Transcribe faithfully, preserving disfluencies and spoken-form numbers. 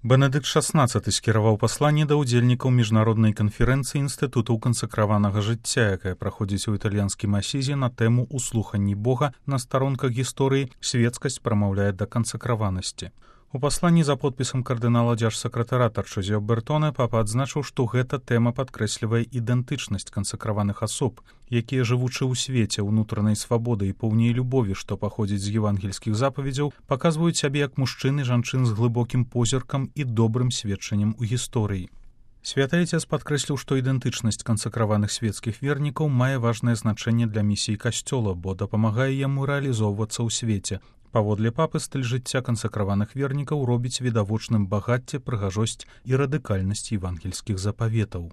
Бенедыкт шаснаццаты скіраваў пасланне да ўдзельнікаў міжнароднай канферэнцыі інстытутаў кансакраванага жыцця, якая праходзіць у італьянскім асізе на тэму «Услуханні Бога на старонках гісторыі. Светскасць прамаўляе да кансакраванасці». У пасланні за подпісам кардынала дзяржсакратара Тарчозіо Бертоне папа адзначыў, што гэта тэма падкрэслівае ідэнтычнасць кансакраваных асоб, якія, жывучы ў свеце ўнутранай свабоды і поўней любові, што паходзіць з евангельскіх запаведзяў, паказваюць сябе як мужчын і жанчын з глыбокім позіркам і добрым сведчаннем у гісторыі. Святы Айцец падкрэсліў, што ідэнтычнасць кансакраваных свецкіх вернікаў мае важнае значэнне для місіі касцёла, бо дапамагае яму рэалізоўвацца ў свеце. Паводле папы, стыль жыцця кансакраваных вернікаў робіць відавочным багацце, прыгажосць і радыкальнасць евангельскіх запаветаў.